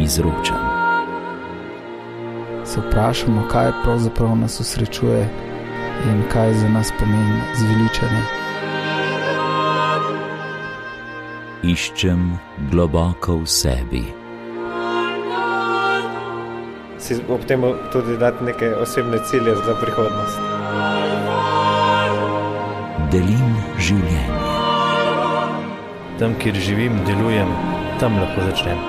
izročam. Se vprašamo, kaj pravzaprav nas osrečuje in kaj za nas pomeni zveličanje. Iščem globoko v sebi. Si ob tem tudi dati neke osebne cilje za prihodnost. Delim življenje. Tam, kjer živim, delujem, tam lahko začnem.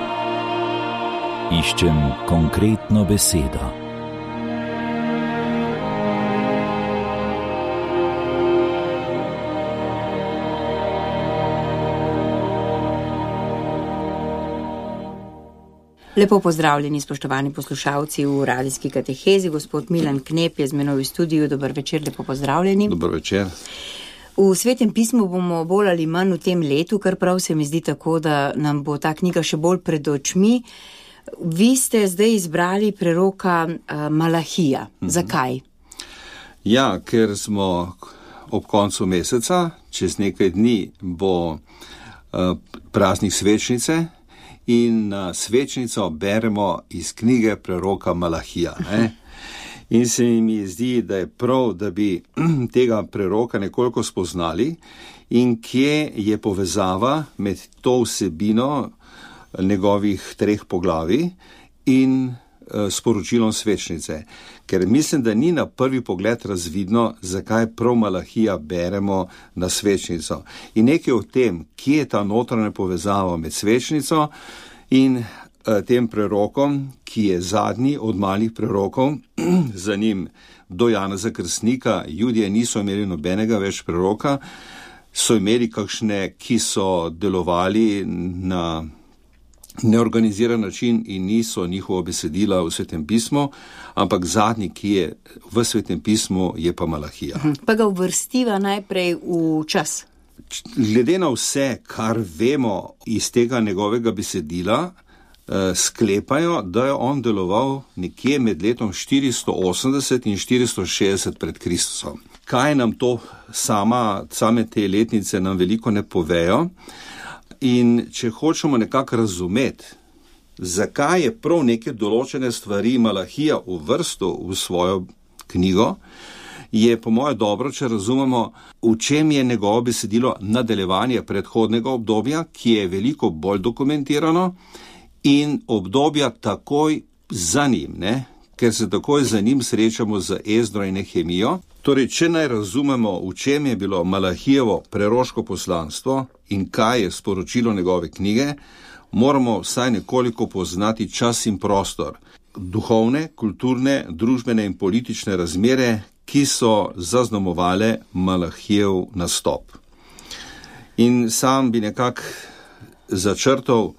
Iščem konkretno besedo. Lepo pozdravljeni, spoštovani poslušalci v radijski katehezi. Gospod Milan Knep je z menoj v studiu. Dober večer, lepo pozdravljeni. Dober večer. V Svetem pismu bomo bolj ali manj v tem letu, kar prav se mi zdi tako, da nam bo ta knjiga še bolj pred očmi. Vi ste zdaj izbrali preroka Malahija. Zakaj? Ja, ker smo ob koncu meseca, čez nekaj dni bo praznik svečnice in na svečnico beremo iz knjige preroka Malahija. In se mi zdi, da je prav, da bi tega preroka nekoliko spoznali in kje je povezava med to vsebino njegovih 3 poglavij in sporočilom svečnice. Ker mislim, da ni na prvi pogled razvidno, zakaj prav Malahija beremo na svečnico. In nekaj o tem, kje je ta notranja povezava med svečnico in tem prerokom, ki je zadnji od malih prerokov, za njim do Janeza Krstnika, Judje niso imeli nobenega več preroka, so imeli kakšne, ki so delovali na neorganiziran način in niso njihova besedila v Svetem pismu, ampak zadnji, ki je v Svetem pismu, je pa Malahija. Pa ga uvrstiva najprej v čas. Glede na vse, kar vemo iz tega njegovega besedila, sklepajo, da je on deloval nekje med letom 480 in 460 pred Kristusom. Kaj nam to same te letnice nam veliko ne povejo? In če hočemo nekako razumeti, zakaj je prav neke določene stvari Malahija uvrstil v svojo knjigo, je po moje dobro, če razumemo, v čem je njegovo besedilo nadaljevanje predhodnega obdobja, ki je veliko bolj dokumentirano, in obdobja takoj za njim, ker se takoj za njim srečamo z Ezdro in Nehemijo. Torej, če naj razumemo, v čem je bilo Malahijevo preroško poslanstvo in kaj je sporočilo njegove knjige, moramo vsaj nekoliko poznati čas in prostor, duhovne, kulturne, družbene in politične razmere, ki so zaznamovale Malahijev nastop. In sam bi nekako začrtal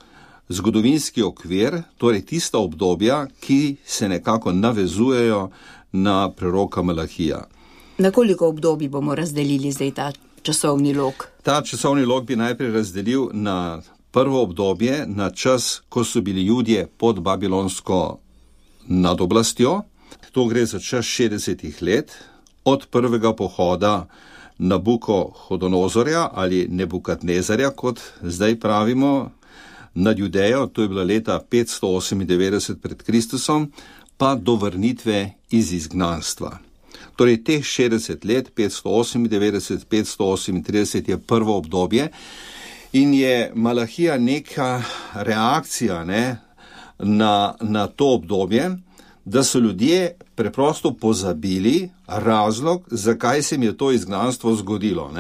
zgodovinski okvir, torej tista obdobja, ki se nekako navezujejo na preroka Malahija. Na koliko obdobij bomo razdelili zdaj ta časovni lok? Ta časovni lok bi najprej razdelil na prvo obdobje, na čas, ko so bili Judje pod babilonsko nadoblastjo. To gre za čas 60 let, od prvega pohoda Nabukohodonozorja ali Nebukadnezarja, kot zdaj pravimo, nad Judejo, to je bila leta 598 pred Kristusom, pa do vrnitve iz izgnanstva. Torej, teh 60 let, 598, 538 je prvo obdobje in je Malahija neka reakcija na to obdobje, da so ljudje preprosto pozabili razlog, zakaj se jim je to izgnanstvo zgodilo,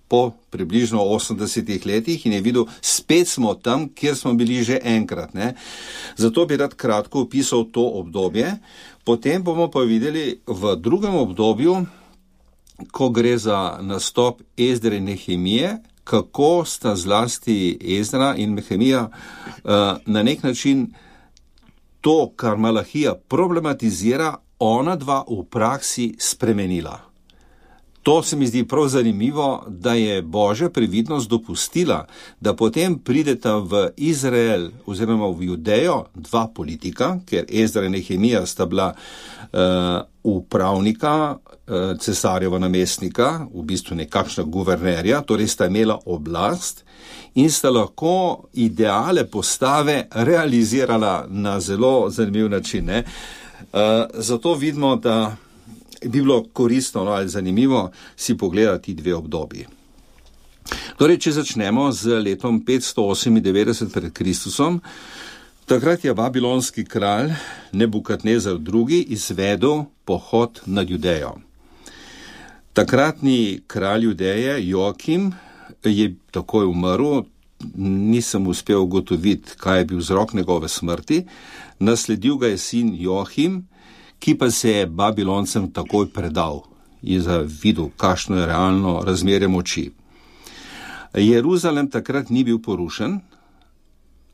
po približno 80 letih in je videl, spet smo tam, kjer smo bili že enkrat. Zato bi rad kratko opisal to obdobje. Potem bomo pa videli v drugem obdobju, ko gre za nastop Ezdre in Nehemije, kako sta zlasti Ezdra in Nehemija na nek način to, kar Malahija problematizira, ona dva v praksi spremenila. To se mi zdi prav zanimivo, da je Božja previdnost dopustila, da potem prideta v Izrael oziroma v Judejo dva politika, ker Ezdra in Nehemija sta bila upravnika, cesarjeva namestnika, v bistvu nekakšna guvernerja, torej sta imela oblast in sta lahko ideale postave realizirala na zelo zanimiv način. Zato vidimo, da bi bilo koristno ali zanimivo si pogledati dve obdobji. Torej, če začnemo z letom 598 pred Kristusom, takrat je babilonski kralj Nebukadnezar II. Izvedel pohod nad Judejo. Takratni kralj Judeje, Joakim, je takoj umrl, nisem uspel ugotoviti, kaj je bil vzrok njegove smrti, nasledil ga je sin Joachim, ki pa se je Babiloncem takoj predal in videl, kakšno je realno razmerje moči. Jeruzalem takrat ni bil porušen,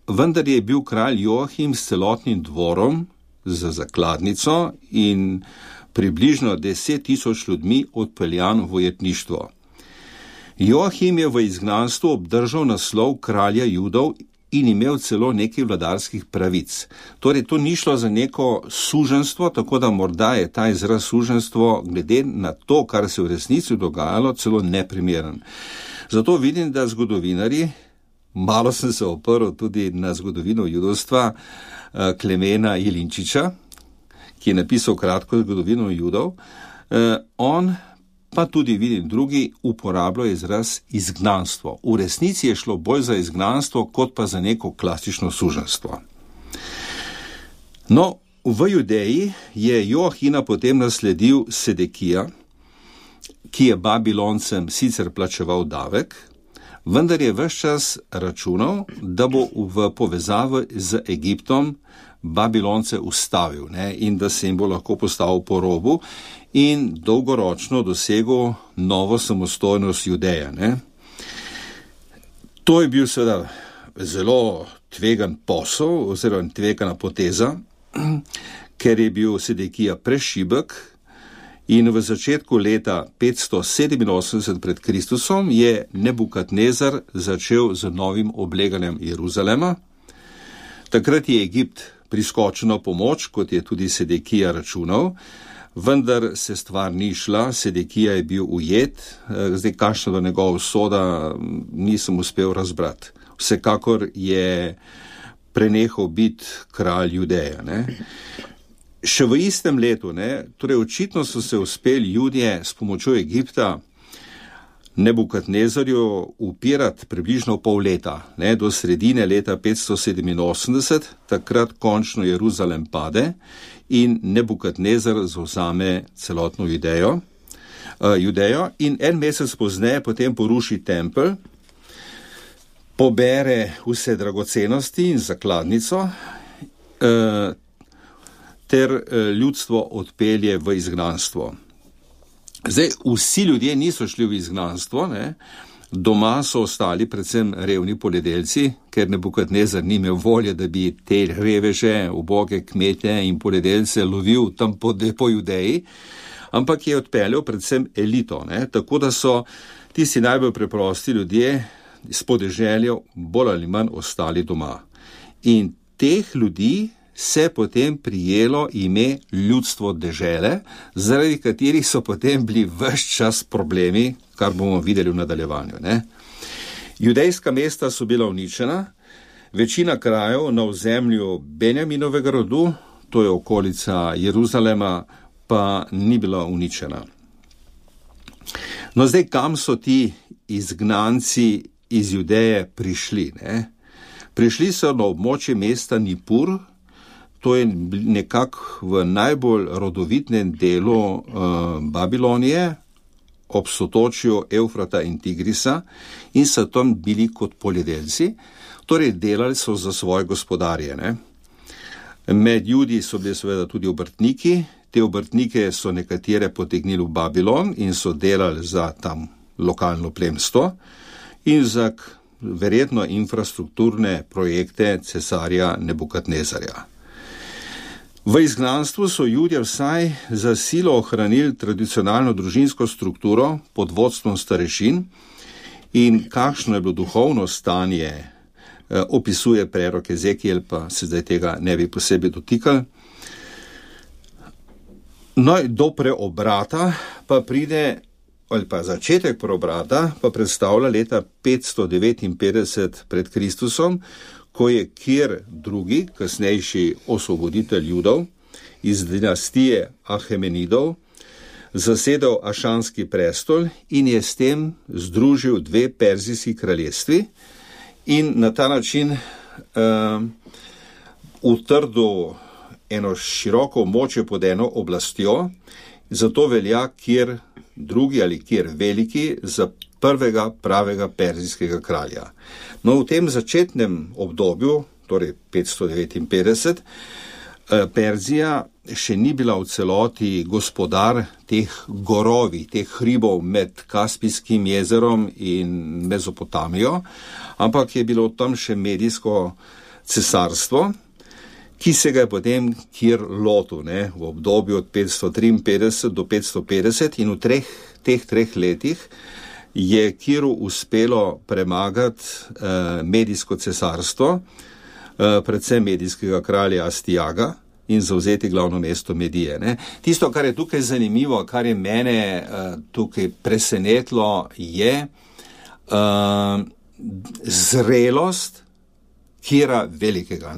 vendar je bil kralj Joachim s celotnim dvorom za zakladnico in približno 10,000 ljudmi odpeljan v ujetništvo. Joachim je v izgnanstvu obdržal naslov kralja Judov in imel celo nekaj vladarskih pravic. Torej, to ni šlo za neko suženstvo, tako da morda je ta izraz suženstvo glede na to, kar se v resnici dogajalo, celo neprimeren. Zato vidim, da zgodovinarji, malo sem se oprl tudi na zgodovino judovstva Klemena Jelinčiča, ki je napisal kratko zgodovino Judov, on pa tudi vidim drugi uporabljajo izraz izgnanstvo. V resnici je šlo bolj za izgnanstvo, kot pa za neko klasično suženstvo. No, v Judeji je Joahina potem nasledil Sedekija, ki je Babiloncem sicer plačeval davek, vendar je ves čas računal, da bo v povezavi z Egiptom Babilonce ustavil in da se jim bo lahko postavil po robu in dolgoročno dosegel novo samostojnost Judeja. To je bil seveda zelo tvegan posel oziroma tvegana poteza, ker je bil Sedekija prešibek in v začetku leta 587 pred Kristusom je Nebukadnezar začel z novim obleganjem Jeruzalema. Takrat je Egipt priskočil na pomoč, kot je tudi Sedekija računal, vendar se stvar ni šla, Sedekija je bil ujet, zdaj kakšna do njegova usoda nisem uspel razbrati. Vsekakor je prenehal biti kralj Judeja. Še v istem letu, torej očitno so se uspeli Judje s pomočjo Egipta Nebukadnezarju upirati približno pol leta, do sredine leta 587, takrat končno Jeruzalem pade in Nebukadnezar zavzame celotno Judejo in en mesec pozneje potem poruši tempelj, pobere vse dragocenosti in zakladnico ter ljudstvo odpelje v izgnanstvo. Zdaj, vsi ljudje niso šli v izgnanstvo, doma so ostali predvsem revni poljedelci, ker Nebukadnezar ni imel volje, da bi te reveže, uboge kmete in poljedelce lovil tam po Judeji, ampak je odpeljal predvsem elito, tako da so tisti najbolj preprosti ljudje s podeželja bolj ali manj ostali doma. In teh ljudi se potem prijelo ime ljudstvo dežele, zaradi katerih so potem bili ves čas problemi, kar bomo videli v nadaljevanju. Judejska mesta so bila uničena, večina krajev na ozemlju Benjaminovega rodu, to je okolica Jeruzalema, pa ni bila uničena. No zdaj, kam so ti izgnanci iz Judeje prišli? Prišli so na območje mesta Nipur, to je nekako v najbolj rodovitnem delu Babilonije, ob sotočju Evfrata in Tigrisa in so tam bili kot poljedelci, torej delali so za svoje gospodarje. Med Judi so bili seveda tudi obrtniki, te obrtnike so nekatere potegnili v Babilon in so delali za tam lokalno plemstvo in za verjetno infrastrukturne projekte cesarja Nebukadnezarja. V izgnanstvu so Judje vsaj za silo ohranili tradicionalno družinsko strukturo pod vodstvom starešin in kakšno je bilo duhovno stanje, opisuje prerok Ezekiel, pa se zdaj tega ne bi posebej dotikali. No, do preobrata pa pride, ali pa začetek preobrata pa predstavlja leta 559 pred Kristusom, ko je Kir II., kasnejši osvoboditelj Judov iz dinastije Ahemenidov, zasedel Ašanski prestol in je s tem združil dve perzijski kraljestvi in na ta način utrdil eno široko območje pod eno oblastjo, zato velja Kir II. Ali Kir Veliki za prvega pravega perzijskega kralja. No, v tem začetnem obdobju, torej 559, Perzija še ni bila v celoti gospodar teh gorovi, teh hribov med Kaspijskim jezerom in Mezopotamijo, ampak je bilo tam še medijsko cesarstvo, ki se ga je potem Kir lotil, v obdobju od 553 do 550 in v teh treh letih je Kiru uspelo premagati medijsko cesarstvo, predvsem medijskega kralja Astiaga in zavzeti glavno mesto Medije. Tisto, kar je tukaj zanimivo, kar je mene tukaj presenetilo, je zrelost Kira Velikega.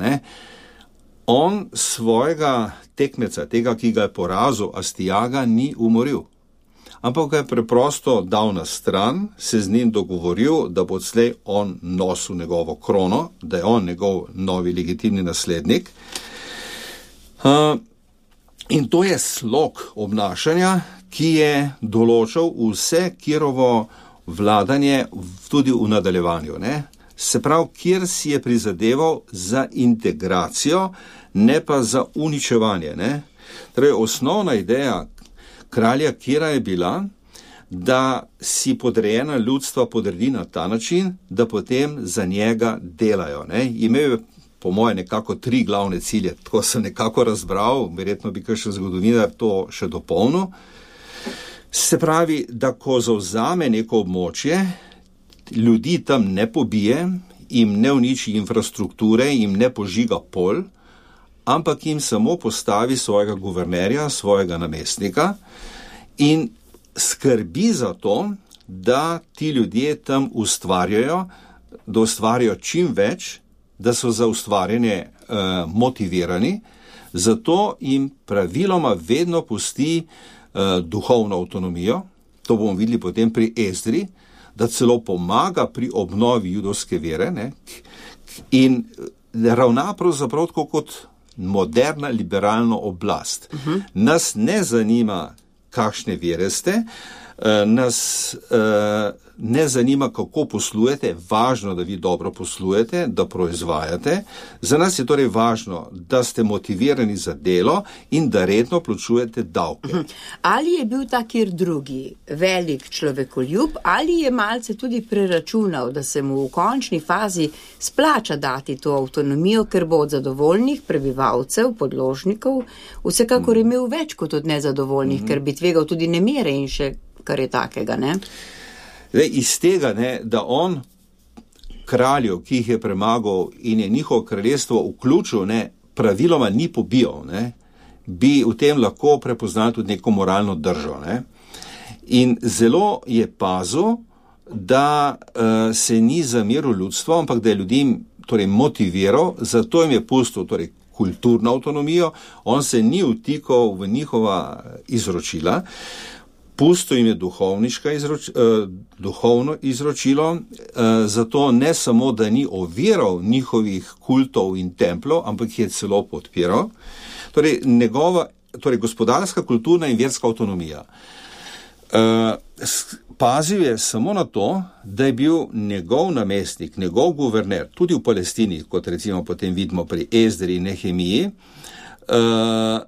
On svojega tekmeca, tega, ki ga je porazil, Astiaga, ni umoril, ampak ga je preprosto dal na stran, se z njim dogovoril, da bo odslej on nosil njegovo krono, da je on njegov novi legitimni naslednik. In to je slog obnašanja, ki je določal vse Kirovo vladanje tudi v nadaljevanju. Se pravi, Kir si je prizadeval za integracijo, ne pa za uničevanje. Torej, osnovna ideja kralja Kira je bila, da si podrejena ljudstva podredi na ta način, da potem za njega delajo. Imel je po moje nekako 3 glavne cilje, tako sem nekako razbral, verjetno bi kakšen zgodovinar to še dopolnil. Se pravi, da ko zavzame neko območje, ljudi tam ne pobije, jim ne uniči infrastrukture, jim ne požiga pol, ampak jim samo postavi svojega guvernerja, svojega namestnika in skrbi za to, da ti ljudje tam ustvarjajo, da ustvarjajo čim več, da so za ustvarjanje motivirani, zato jim praviloma vedno pusti duhovno avtonomijo, to bomo videli potem pri Ezdri, da celo pomaga pri obnovi judovske vere, in ravna pravzaprav tako kot moderna liberalna oblast. Nas ne zanima, kakšne vere ste, nas ne zanima, kako poslujete, važno, da vi dobro poslujete, da proizvajate. Za nas je torej važno, da ste motivirani za delo in da redno plačujete davke. Ali je bil ta Kir II. Velik človekoljub, ali je malce tudi preračunal, da se mu v končni fazi splača dati to avtonomijo, ker bo od zadovoljnih prebivalcev, podložnikov, vsekakor imel več kot od nezadovoljnih, ker bi tvegal tudi nemire in še kar je takega, Iz tega, da on kraljev, ki jih je premagal in je njihovo kraljestvo vključil, praviloma ni pobijal, bi v tem lahko prepoznal tudi neko moralno držo. In zelo je pazil, da se ni zameril ljudstvo, ampak da je ljudi motiviral, zato jim je pustil kulturno avtonomijo, on se ni vtikal v njihova izročila, pustil jim je duhovno izročilo, zato ne samo, da ni oviral njihovih kultov in templov, ampak jih je celo podpiral. Torej gospodarska, kulturna in verska avtonomija. Pazil je samo na to, da je bil njegov namestnik, njegov guverner, tudi v Palestini, kot recimo potem vidimo pri Ezdri in Nehemiji,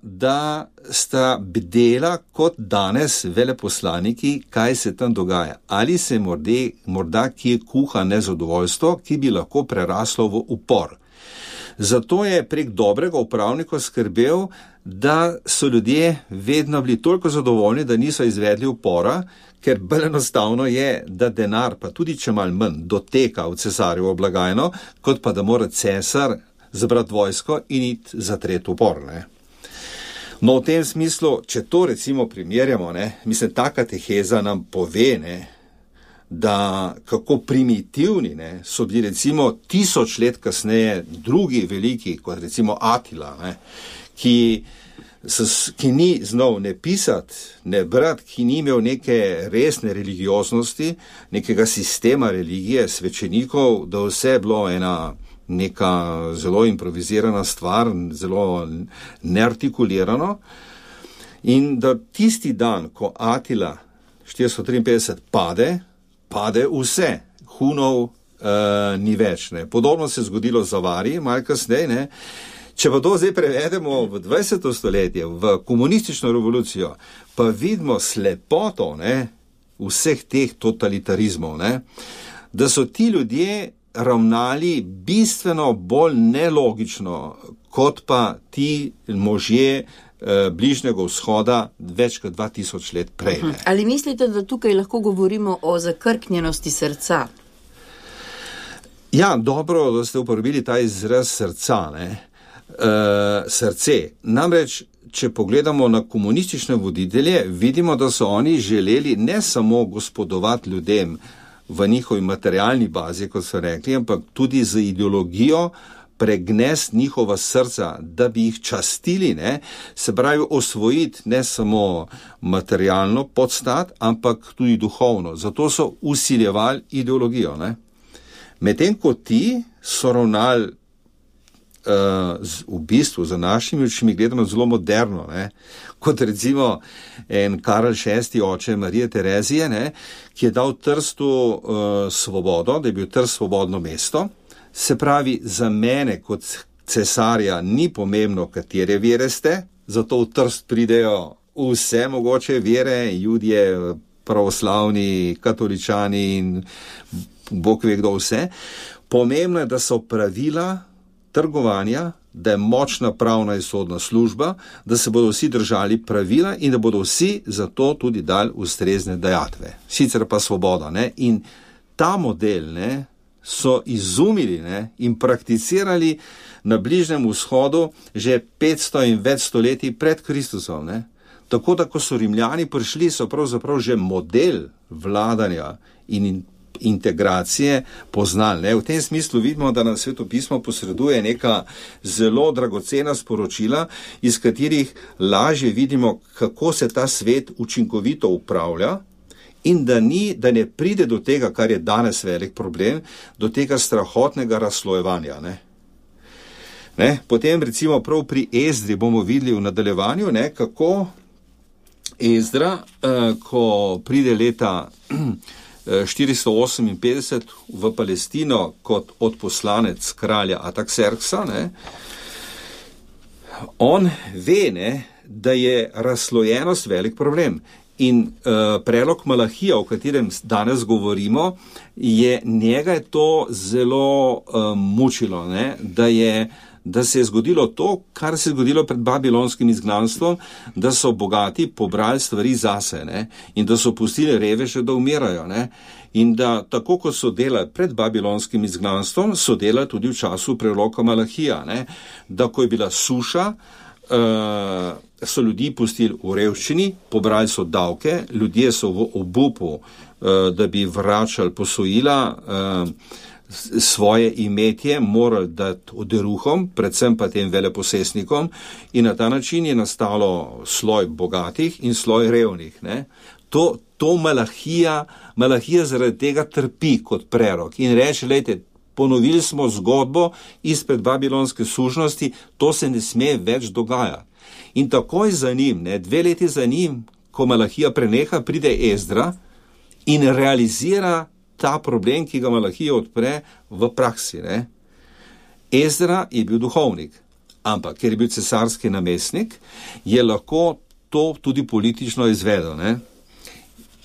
da sta bdela kot danes veleposlaniki, kaj se tam dogaja. Ali se morda kje kuha nezadovoljstvo, ki bi lahko preraslo v upor. Zato je prek dobrega upravnika skrbel, da so ljudje vedno bili toliko zadovoljni, da niso izvedli upora, ker bolj enostavno je, da denar, pa tudi če malo manj, doteka v cesarjevo blagajno, kot pa da mora cesar zbrati vojsko in iti zatreti upor. Ne? No, v tem smislu, če to recimo primerjamo, mislim, ta kateheza nam pove, da kako primitivni so bili recimo 1000 let kasneje drugi veliki, kot recimo Atila, ki ni znal ne pisati, ne brati, ki ni imel neke resne religioznosti, nekega sistema religije, svečenikov, da vse je bilo neka zelo improvizirana stvar, zelo neartikulirano. In da tisti dan, ko Atila 453 pade vse, Hunov ni več. Podobno se je zgodilo z Avari, malo kasneje. Če pa to zdaj prevedemo v 20. stoletje, v komunistično revolucijo, pa vidimo slepoto vseh teh totalitarizmov, da so ti ljudje ravnali bistveno bolj nelogično, kot pa ti možje Bližnjega vzhoda več kot 2000 let prej. Ali mislite, da tukaj lahko govorimo o zakrknjenosti srca? Ja, dobro, da ste uporabili ta izraz srca, srce. Namreč, če pogledamo na komunistične voditelje, vidimo, da so oni želeli ne samo gospodovati ljudem v njihovi materialni bazi, kot so rekli, ampak tudi z ideologijo pregnesti njihova srca, da bi jih častili, se pravi osvojiti ne samo materialno podstat, ampak tudi duhovno. Zato so vsiljevali ideologijo. Medtem ko ti so ravnali v bistvu za našimi očmi gledano zelo moderno, kot recimo en Karl VI, oče Marije Terezije, ki je dal Trstu svobodo, da je bil Trst svobodno mesto. Se pravi, za mene kot cesarja ni pomembno, katere vere ste, zato v Trst pridejo vse mogoče vere, Judje, pravoslavni, katoličani in Bog ve kdo vse. Pomembno je, da so pravila trgovanja, da je močna pravna in sodna služba, da se bodo vsi držali pravila in da bodo vsi za to tudi dali ustrezne dajatve. Sicer pa svoboda. In ta model so izumili in prakticirali na Bližnjem vzhodu že 500 in več stoletij pred Kristusom. Tako da, ko so Rimljani prišli, so pravzaprav že model vladanja in integracije poznali. V tem smislu vidimo, da nam Svetopismo posreduje neka zelo dragocena sporočila, iz katerih lažje vidimo, kako se ta svet učinkovito upravlja in da ne pride do tega, kar je danes velik problem, do tega strahotnega razslojevanja. Potem recimo prav pri Ezdri bomo videli v nadaljevanju, kako Ezdra, ko pride leta 458 v Palestino kot odposlanec kralja Artaxerxa, on ve, da je razslojenost velik problem. In prelog Malahija, o katerem danes govorimo, njega je to zelo mučilo, da se je zgodilo to, kar se je zgodilo pred babilonskim izgnanstvom, da so bogati pobrali stvari zase in da so pustili reveže, da umirajo. In da tako, kot so delali pred babilonskim izgnanstvom, so delali tudi v času preloga Malahija. Da ko je bila suša, so ljudi pustili v revščini, pobrali so davke, ljudje so v obupu, da bi vračali posojila, svoje imetje morali dati oderuhom, predvsem pa tem veleposestnikom, in na ta način je nastalo sloj bogatih in sloj revnih. To Malahija zaradi tega trpi kot prerok in reče, lejte, ponovili smo zgodbo izpred babilonske sužnosti, to se ne sme več dogajati. In takoj za njim, 2 leti za njim, ko Malahija preneha, pride Ezdra in realizira ta problem, ki ga Malahija odpre v praksi. Ezdra je bil duhovnik, ampak ker je bil cesarski namestnik, je lahko to tudi politično izvedel.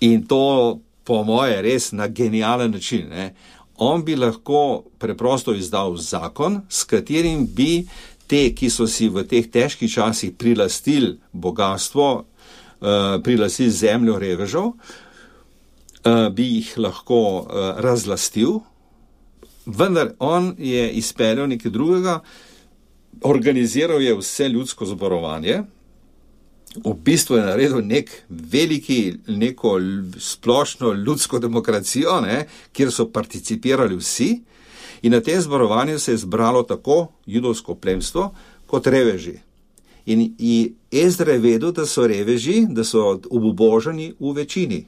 In to, po moje, res na genijalen način. on bi lahko preprosto izdal zakon, s katerim bi te, ki so si v teh težkih časih prilastili bogatstvo, prilastili zemljo revežev, bi jih lahko razlastil, vendar on je izpeljal nekaj drugega, organiziral je vse ljudsko zborovanje, v bistvu je naredil neko splošno ljudsko demokracijo, kjer so participirali vsi, in na tem zborovanju se je zbralo tako judovsko plemstvo kot reveži. In Ezdra je vedel, da so reveži, da so obubožani v večini.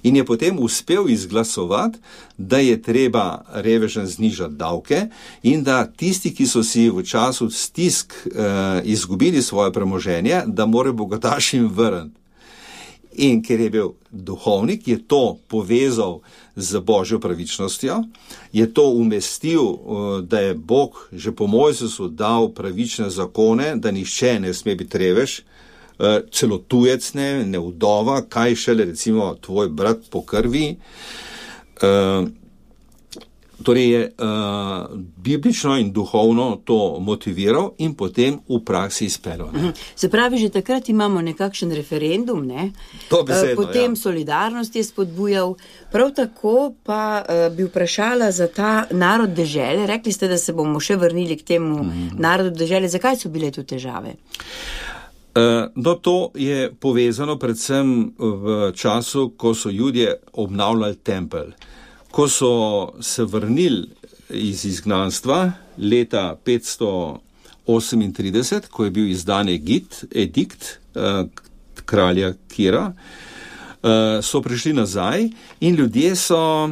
In je potem uspel izglasovati, da je treba revežem znižati davke in da tisti, ki so si v času stisk izgubili svoje premoženje, da morajo bogatašim vrniti. In ker je bil duhovnik, je to povezal z Božjo pravičnostjo, je to umestil, da je Bog že po Mojzesu dal pravične zakone, da nihče ne sme biti revež, celo tujec ne vdova, kaj šele recimo tvoj brat po krvi. Torej je biblično in duhovno to motiviral in potem v praksi izpeljal. Se pravi, že takrat imamo nekakšen referendum, ne? Potem solidarnost je spodbujal. Prav tako pa bi vprašala za ta narod dežele. Rekli ste, da se bomo še vrnili k temu narodu dežele. Zakaj so bile tu težave? No, to je povezano predvsem v času, ko so Judje obnavljali tempelj. Ko so se vrnili iz izgnanstva leta 538, ko je bil izdan edikt kralja Kira, so prišli nazaj in ljudje so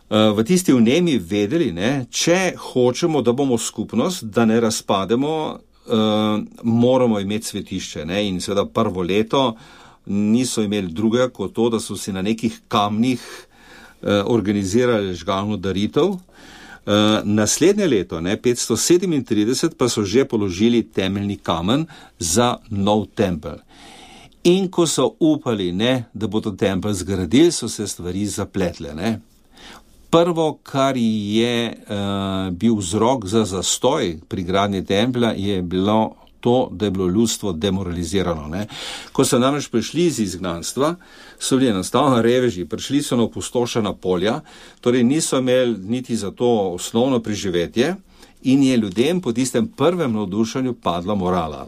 v tisti vnemi vedeli, če hočemo, da bomo skupnost, da ne razpademo, moramo imeti svetišče. In seveda prvo leto niso imeli drugega kot to, da so si na nekih kamnih organizirali žgalno daritev. Naslednje leto, 537, pa so že položili temeljni kamen za nov tempelj. In ko so upali, da bodo tempelj zgradili, so se stvari zapletle. Prvo, kar je bil vzrok za zastoj pri gradnji templja, je bilo to, da je bilo ljudstvo demoralizirano. Ko so namreč prišli iz izgnanstva, so bili enostavno reveži, prišli so na opustošena polja, torej niso imeli niti za to osnovno preživetje in je ljudem po tistem prvem navdušenju padla morala.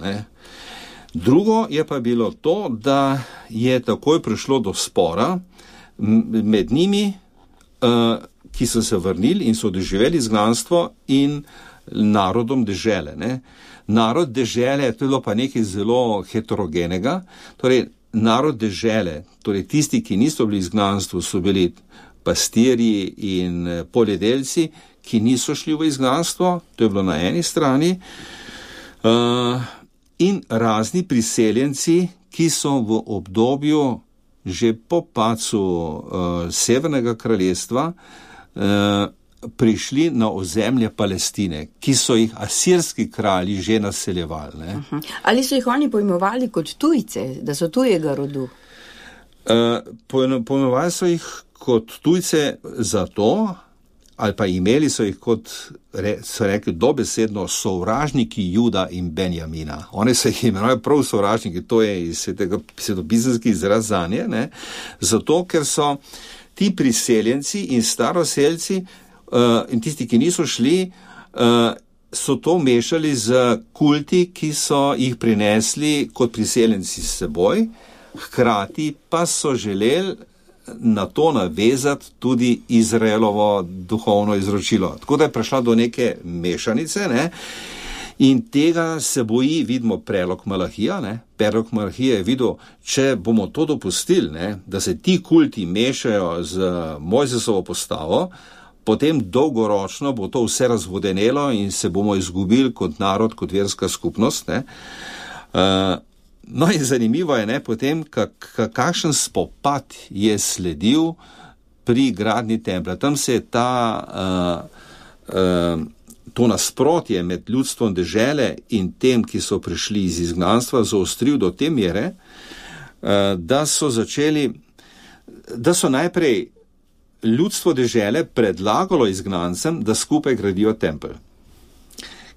Drugo je pa bilo to, da je takoj prišlo do spora med njimi, ki so se vrnili in so doživeli izgnanstvo, in narodom dežele. Narod dežele, to je bilo pa nekaj zelo heterogenega, torej narod dežele, torej tisti, ki niso bili v izgnanstvu, so bili pastirji in poljedelci, ki niso šli v izgnanstvo, to je bilo na eni strani, in razni priseljenci, ki so v obdobju že po padcu Severnega kraljestva prišli na ozemlje Palestine, ki so jih asirski kralji že naseljevali. Ali so jih oni pojmovali kot tujce, da so tujega rodu? Pojmovali so jih kot tujce zato, ali pa imeli so jih kot, so rekli dobesedno, sovražniki Juda in Benjamina. Oni so jih imenovali prav sovražniki, to je iz svetopisemski izraz zanje, zato ker so ti priseljenci in staroselci in tisti, ki niso šli, so to mešali z kulti, ki so jih prinesli kot priseljenci s seboj, hkrati pa so želeli na to navezati tudi Izraelovo duhovno izročilo. Tako da je prišla do neke mešanice, in tega se boji, vidimo, prelog Malahija. Prelog Malahija je videl, če bomo to dopustili, da se ti kulti mešajo z Mojzesovo postavo, potem dolgoročno bo to vse razvodenelo in se bomo izgubili kot narod, kot verska skupnost. No in zanimivo je potem, kakšen spopad je sledil pri gradnji templja. Tam se je to nasprotje med ljudstvom dežele in tem, ki so prišli iz izgnanstva, zaostril do te mere, da so najprej ljudstvo dežele predlagalo izgnancem, da skupaj gradijo tempelj.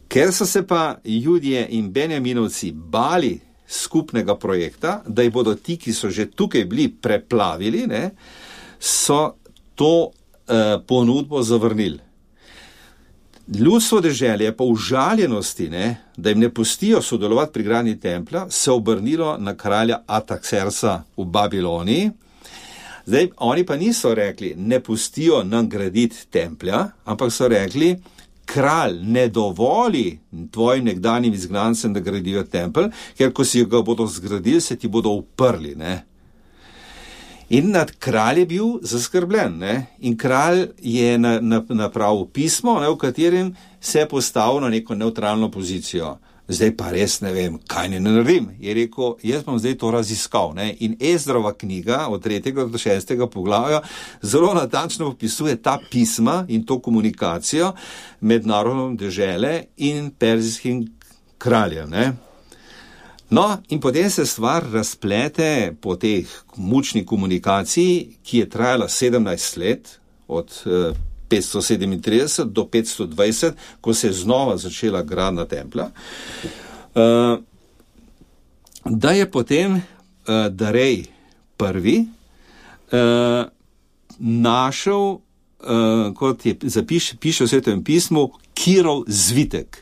Ker so se pa Judje in Benjaminovci bali skupnega projekta, da jih bodo ti, ki so že tukaj bili, preplavili, ne, so to ponudbo zavrnili. Ljudstvo deželje pa v žaljenosti, ne, da jim ne pustijo sodelovati pri gradnji templja, se obrnilo na kralja Artaxerxa v Babiloniji. Zdaj, oni pa niso rekli, ne pustijo nam graditi templja, ampak so rekli, kralj ne dovoli tvojim nekdanjim izgnancem, da gradijo tempelj, ker ko si ga bodo zgradili, se ti bodo uprli, ne. In nad kralj je bil zaskrbljen, ne? In kralj je napravil pismo, ne, v katerem se je postavil na neko neutralno pozicijo. Zdaj pa res ne vem, kaj ne naredim. Je rekel, jaz bom zdaj to raziskal, ne? In Ezrova knjiga od 3. do 6. poglavja zelo natančno opisuje ta pisma in to komunikacijo med narodom dežele in perzijskim kraljem, ne? No, in potem se stvar razplete po teh mučni komunikaciji, ki je trajala 17 let, od 537 do 520, ko se je znova začela gradnja templja, da je potem Darej prvi našel, kot je piše v Svetem pismu, Kirov zvitek.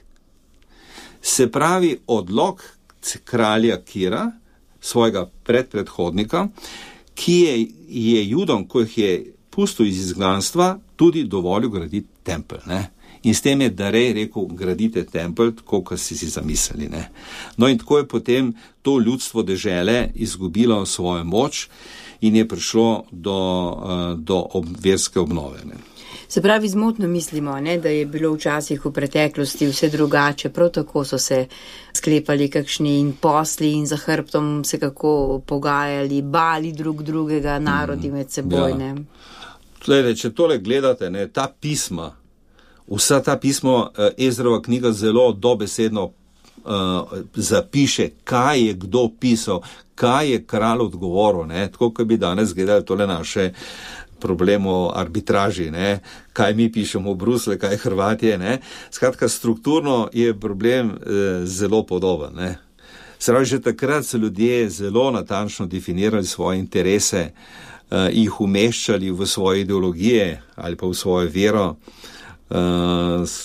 Se pravi odlok kralja Kira, svojega predhodnika, ki je Judom, ko jih je pustil iz izgnanstva, tudi dovolil graditi tempelj, ne. In s tem je Darej rekel, gradite tempelj, tako, kot si zamislili, ne. No in tako je potem to ljudstvo dežele izgubilo svojo moč in je prišlo do verske obnove, ne. Se pravi, zmotno mislimo, ne, da je bilo včasih v preteklosti vse drugače, prav tako so se sklepali kakšni in posli in za hrbtom se kako pogajali, bali drugega, narodi med seboj, ne. Tlede, če tole gledate, ne, ta pisma, vsa ta pisma, Ezrova knjiga zelo dobesedno zapiše, kaj je kdo pisal, kaj je kralj odgovoril, ne, tako kot bi danes gledali tole naše problem o arbitraži, ne, kaj mi pišemo v Bruslju, kaj Hrvatije, ne. Skratka, strukturno je problem zelo podoben, ne. Se pravi, že takrat so ljudje zelo natančno definirali svoje interese, jih umeščali v svoje ideologije ali pa v svojo vero,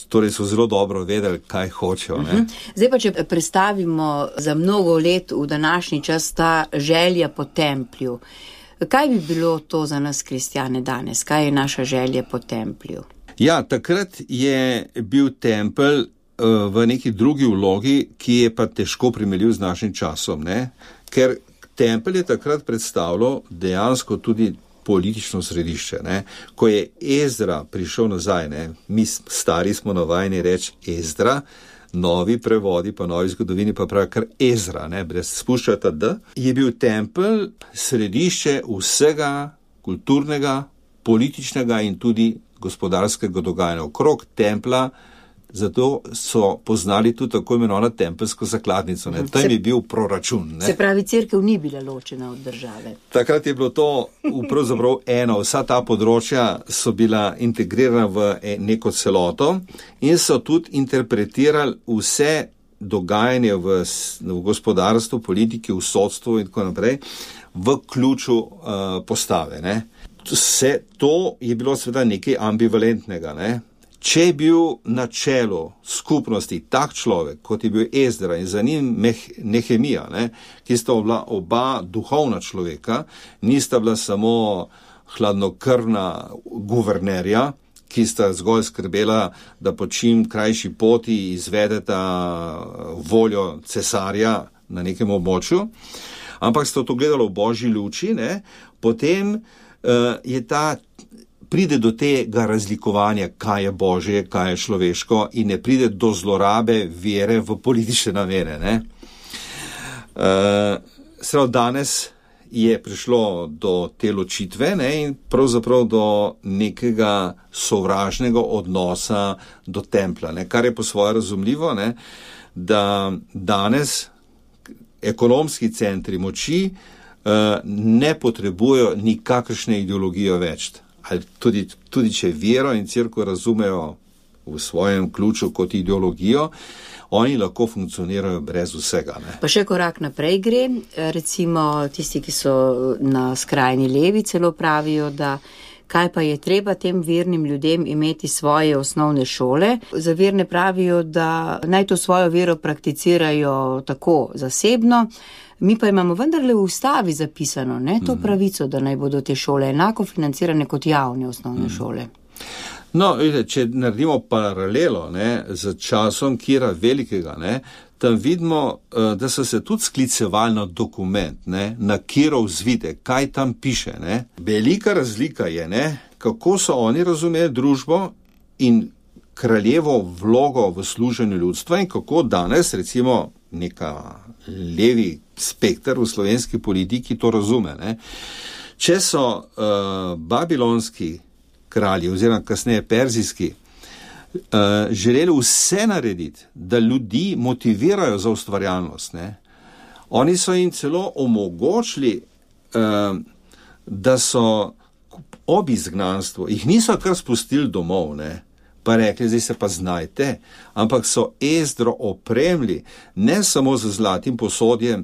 torej so zelo dobro vedeli, kaj hočejo, ne. Zdaj pa, če prestavimo za mnogo let v današnji čas ta želja po templju, kaj bi bilo to za nas kristjane danes? Kaj je naša želja po templju? Ja, takrat je bil tempelj v neki drugi vlogi, ki je pa težko primerljiv z našim časom, ne? Ker tempelj je takrat predstavljal dejansko tudi politično središče, ne? Ko je Ezra prišel nazaj, ne? Mi stari smo navajeni reči Ezdra, novi prevodi pa novi zgodovini pa pravi kar Ezra, ne, brez spuščata D, je bil tempelj središče vsega kulturnega, političnega in tudi gospodarskega dogajanja okrog templja, zato so poznali tudi tako imenovano tempelsko zakladnico, ne, tam je bil proračun, ne. Se pravi, cerkev ni bila ločena od države. Takrat je bilo to pravzaprav eno, vsa ta področja so bila integrirana v neko celoto in so tudi interpretirali vse dogajanje v gospodarstvu, politiki, v sodstvu in tako naprej v ključu postave, ne. Vse to je bilo seveda nekaj ambivalentnega, ne. Če je bil na čelu skupnosti tak človek, kot je bil Ezdra in za njim Nehemija, ne, ki sta bila oba duhovna človeka, nista bila samo hladnokrvna guvernerja, ki sta zgolj skrbela, da po čim krajši poti izvedeta voljo cesarja na nekem območju, ampak sta to gledalo v božji luči, ne, potem je pride do tega razlikovanja, kaj je božje, kaj je človeško in ne pride do zlorabe vere v politične namene, ne. Seveda danes je prišlo do te ločitve, ne, in pravzaprav do nekega sovražnega odnosa do templja, ne, kar je po svoje razumljivo, ne, da danes ekonomski centri moči ne potrebujejo nikakršne ideologije več. ali tudi če vero in cerkev razumejo v svojem ključu kot ideologijo, oni lahko funkcionirajo brez vsega. Ne? Pa še korak naprej gre, recimo tisti, ki so na skrajni levi, celo pravijo, da kaj pa je treba tem vernim ljudem imeti svoje osnovne šole. Za verne pravijo, da naj to svojo vero prakticirajo tako zasebno, mi pa imamo vendarle v ustavi zapisano, ne, to pravico, da naj bodo te šole enako financirane kot javne osnovne šole. No, vidite, če naredimo paralelo, ne, z časom Kira Velikega, ne, tam vidimo, da so se tudi sklicevali na dokument, ne, na Kirov zvitek, kaj tam piše. Ne. Velika razlika je, ne, kako so oni razumeli družbo in kraljevo vlogo v služenju ljudstva in kako danes, recimo, neka levi spekter v slovenski politiki to razume. Ne. Če so babilonski kralji oziroma kasneje perzijski želeli vse narediti, da ljudi motivirajo za ustvarjalnost. Ne? Oni so jim celo omogočili, da so ob izgnanstvu, jih niso kar spustili domov, ne? Pa rekli, zdaj se pa znajte, ampak so Ezdro opremili ne samo z zlatim posodjem,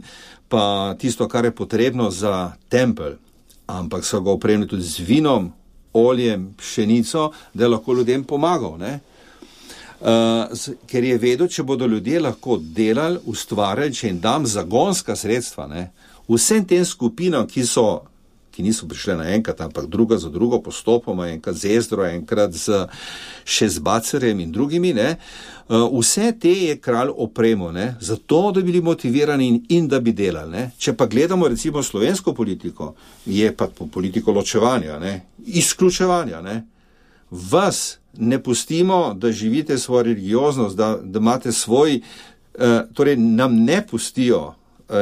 pa tisto, kar je potrebno za tempelj, ampak so ga opremili tudi z vinom, oljem, pšenico, da je lahko ljudem pomagal. Ne? Ker je vedel, če bodo ljudje lahko delali, ustvarjali, če jim dam zagonska sredstva, ne? Vsem tem skupinam, ki niso prišle naenkrat, ampak druga za drugo postopoma, enkrat z Ezdro, enkrat z Šezbacerjem in drugimi, ne? Vse te je kralj opremil, ne? Zato, da bili motivirani in da bi delali. Ne? Če pa gledamo recimo slovensko politiko, je pa politiko ločevanja, ne? Izključevanja. Ne? Vas ne pustimo, da živite svojo religioznost, da imate svoj, torej nam ne pustijo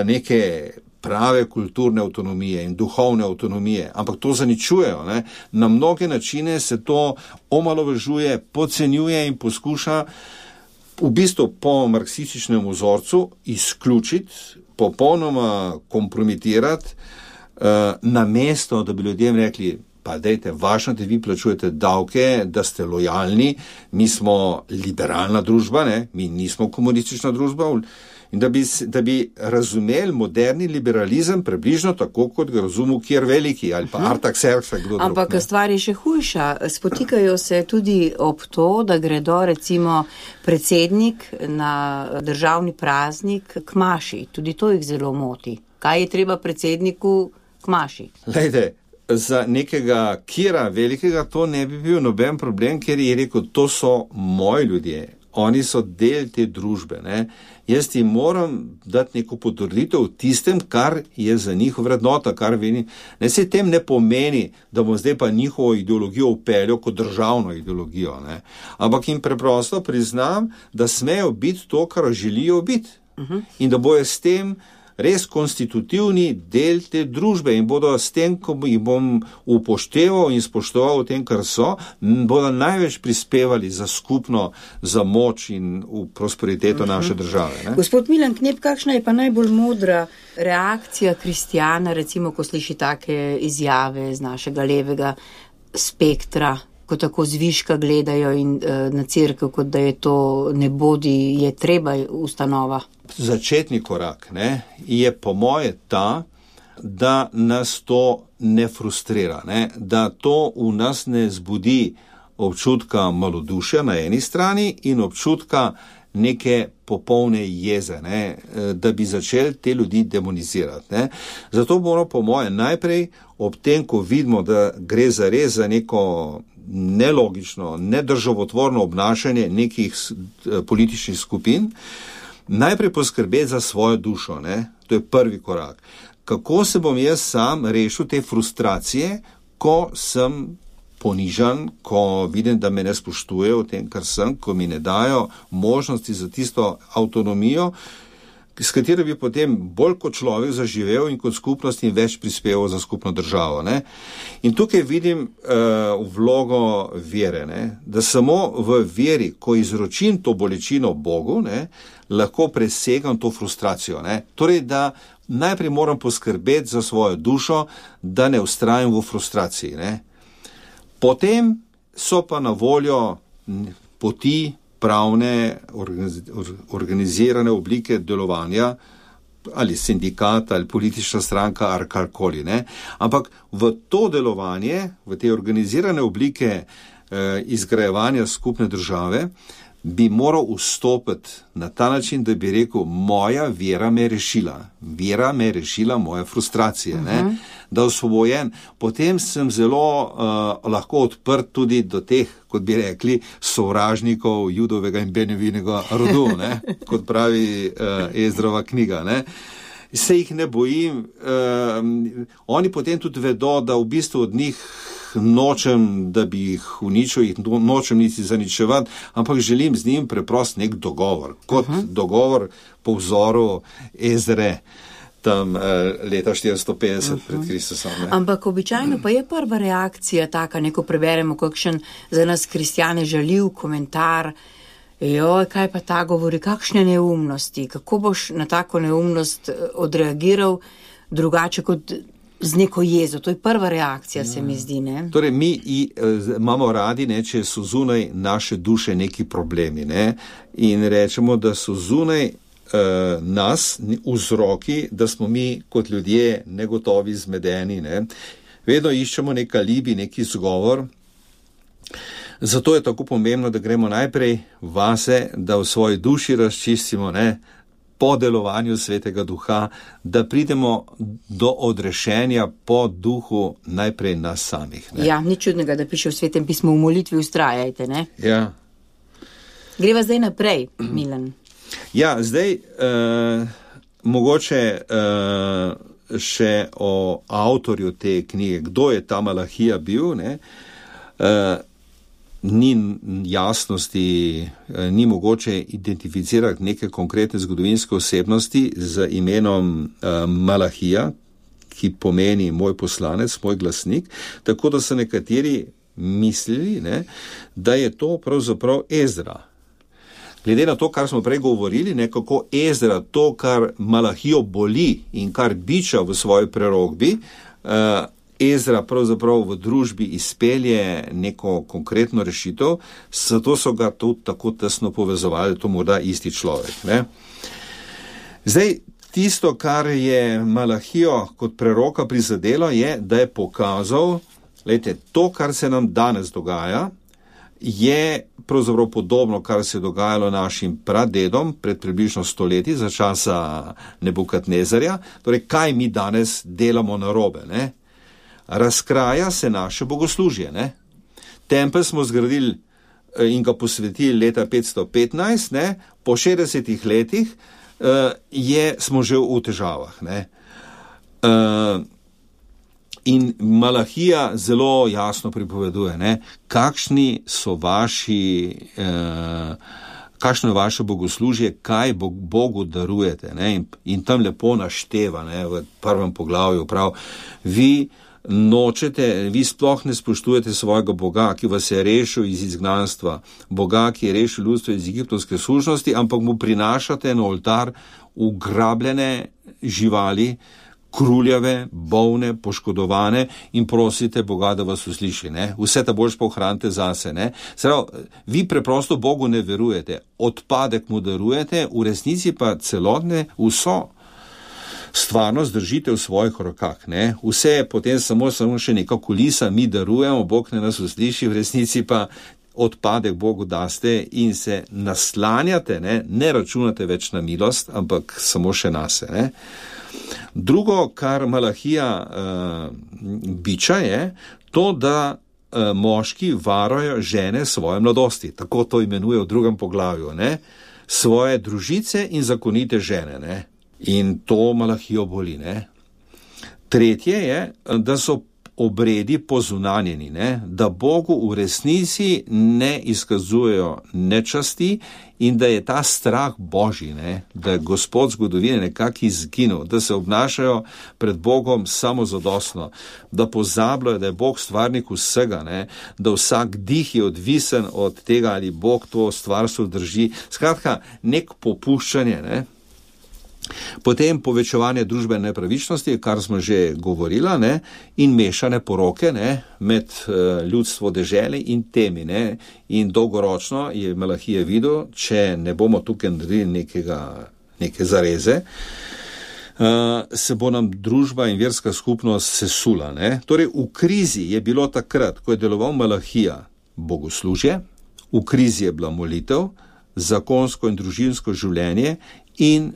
neke prave kulturne avtonomije in duhovne avtonomije, ampak to zaničujejo. Ne? Na mnoge načine se to omalovažuje, podcenjuje in poskuša v bistvu po marksističnem vzorcu izključiti, popolnoma kompromitirati, namesto, da bi ljudem rekli, pa dejte, važno, da vi plačujete davke, da ste lojalni, mi smo liberalna družba, ne? Mi nismo komunistična družba, in da bi razumeli moderni liberalizem približno tako, kot ga razumel Kir Veliki ali pa Artaxerxes, kdo drug. Ampak stvar je še hujša. Spotikajo se tudi ob to, da gredo recimo predsednik na državni praznik k maši. Tudi to jih zelo moti. Kaj je treba predsedniku k maši? Lejte, za nekega Kira Velikega to ne bi bil noben problem, ker je rekel, to so moji ljudje. Oni so del te družbe. Ne? Jaz ti moram dati neko potrditev tistem, kar je za njih vrednota, kar veni. Ne se tem ne pomeni, da bom zdaj pa njihovo ideologijo upeljal kot državno ideologijo. Ne? Ampak jim preprosto priznam, da smejo biti to, kar želijo biti. In da bojo s tem res konstitutivni del te družbe in bodo s tem, ko jih bom upošteval in spoštoval v tem, kar so, bodo največ prispevali za skupno, za moč in v prosperiteto naše države. Ne? Gospod Milan Knep, kakšna je pa najbolj modra reakcija kristjana, recimo, ko sliši take izjave z našega levega spektra, ko tako zviška gledajo in na cerkev, kot da je to ne bodi, je treba ustanova? Začetni korak, ne, je po moje ta, da nas to ne frustrira, ne, da to v nas ne zbudi občutka malodušja na eni strani in občutka neke popolne jeze, ne, da bi začeli te ljudi demonizirati. Ne. Zato moramo po moje najprej ob tem, ko vidimo, da gre zares za neko nelogično, nedržavotvorno obnašanje nekih političnih skupin, najprej poskrbeti za svojo dušo. Ne? To je prvi korak. Kako se bom jaz sam rešil te frustracije, ko sem ponižan, ko vidim, da me ne spoštujejo v tem, kar sem, ko mi ne dajo možnosti za tisto avtonomijo, s katero bi potem bolj kot človek zaživel in kot skupnost in več prispeval za skupno državo. Ne? In tukaj vidim vlogo vere, ne? Da samo v veri, ko izročim to bolečino Bogu, ne, lahko presegam to frustracijo. Ne? Torej, da najprej moram poskrbeti za svojo dušo, da ne vztrajam v frustraciji. Ne? Potem so pa na voljo poti, pravne, organizirane oblike delovanja, ali sindikat, ali politična stranka, ali karkoli, ne. Ampak v to delovanje, v te organizirane oblike izgrajevanja skupne države, bi moral vstopiti na ta način, da bi rekel, moja vera me je rešila moje frustracije, ne? Da osvobojen. Potem sem zelo lahko odprt tudi do teh, kot bi rekli, sovražnikov Judovega in Benjaminega rodu, ne? Kot pravi Ezrova knjiga, ne? Se jih ne bojim, oni potem tudi vedo, da v bistvu od njih nočem, da bi jih uničil, jih nočem niti zaničevati, ampak želim z njim preprost nek dogovor, kot dogovor po vzoru Ezre, tam leta 450 pred Kristusom. Ampak običajno pa je prva reakcija taka, neko preberemo kakšen za nas kristjane žaljiv komentar, joj, kaj pa ta govori, kakšne neumnosti, kako boš na tako neumnost odreagiral drugače kot z neko jezo. To je prva reakcija, se mi zdi, ne? Torej, mi imamo radi, ne, če so zunaj naše duše neki problemi, ne, in rečemo, da so zunaj nas vzroki, da smo mi kot ljudje negotovi, zmedeni, ne. Vedno iščemo nek alibi, neki izgovor. Zato je tako pomembno, da gremo najprej vase, da v svoji duši razčistimo, ne, po delovanju Svetega Duha, da pridemo do odrešenja po duhu najprej nas samih. Ne. Ja, ni čudnega, da piše v Svetem pismu, v molitvi vztrajajte, ne? Ja. Greva zdaj naprej, Milan. Ja, zdaj mogoče še o avtorju te knjige, kdo je ta Malahija bil, ne? Ni jasnosti, ni mogoče identificirati neke konkretne zgodovinske osebnosti z imenom Malahija, ki pomeni moj poslanec, moj glasnik, tako da so nekateri mislili, ne, da je to pravzaprav Ezra. Glede na to, kar smo prej govorili, ne, kako Ezra to, kar Malahijo boli in kar biča v svoji prerokbi, Ezra pravzaprav v družbi izpelje neko konkretno rešitev, zato so ga tudi tako tesno povezovali, to morda isti človek, ne. Zdaj, tisto, kar je Malahijo kot preroka prizadelo, je, da je pokazal, glejte, to, kar se nam danes dogaja, je pravzaprav podobno, kar se je dogajalo našim pradedom pred približno 100 leti za časa Nebukadnezarja. Torej, kaj mi danes delamo narobe, ne? Razkraja se naše bogoslužje, ne? Tempelj smo zgradili in ga posvetili leta 515, ne? Po 60 letih smo že v težavah, ne? In Malahija zelo jasno pripoveduje, ne, kakšno je vaše bogoslužje, kaj Bogu darujete, ne, in tam lepo našteva, ne, v prvem poglavju prav, vi sploh ne spoštujete svojega Boga, ki vas je rešil iz izgnanstva, Boga, ki je rešil ljudstvo iz egiptovske služnosti, ampak mu prinašate na oltar ugrabljene živali, kruljave, bolne, poškodovane in prosite Boga, da vas usliši, ne? Vse ta boljš pa ohranite zase, ne? Sedaj, vi preprosto Bogu ne verujete, odpadek mu darujete, v resnici pa celotne vso stvarnost držite v svojih rokah, ne? Vse je potem samo še neka kulisa, mi darujemo, Bog ne nas usliši, v resnici pa odpadek Bogu daste in se naslanjate, ne računate več na milost, ampak samo še nase, ne? Drugo, kar Malahija biča, je to, da moški varajo žene svoje mladosti, tako to imenuje v drugem poglavju, ne? Svoje družice in zakonite žene, ne? In to Malahijo boli, ne? Tretje je, da so obredi pozunanjeni, ne? Da Bogu v resnici ne izkazujejo nečasti in da je ta strah Božji, ne? Da je Gospod zgodovine nekako izginil, da se obnašajo pred Bogom samozadostno, da pozabljajo, da je Bog stvarnik vsega, ne? Da vsak dih je odvisen od tega, ali Bog to stvarstvo drži. Skratka, nek popuščanje, ne? Potem povečevanje družbene nepravičnosti, kar smo že govorila, ne, in mešane poroke, ne, med ljudstvo dežele in temi. Ne, in dolgoročno je Malahija videl, če ne bomo tukaj naredili neke zareze, se bo nam družba in verska skupnost sesula. Ne. Torej, v krizi je bilo takrat, ko je deloval Malahija, bogoslužje, v krizi je bila molitev, zakonsko in družinsko življenje in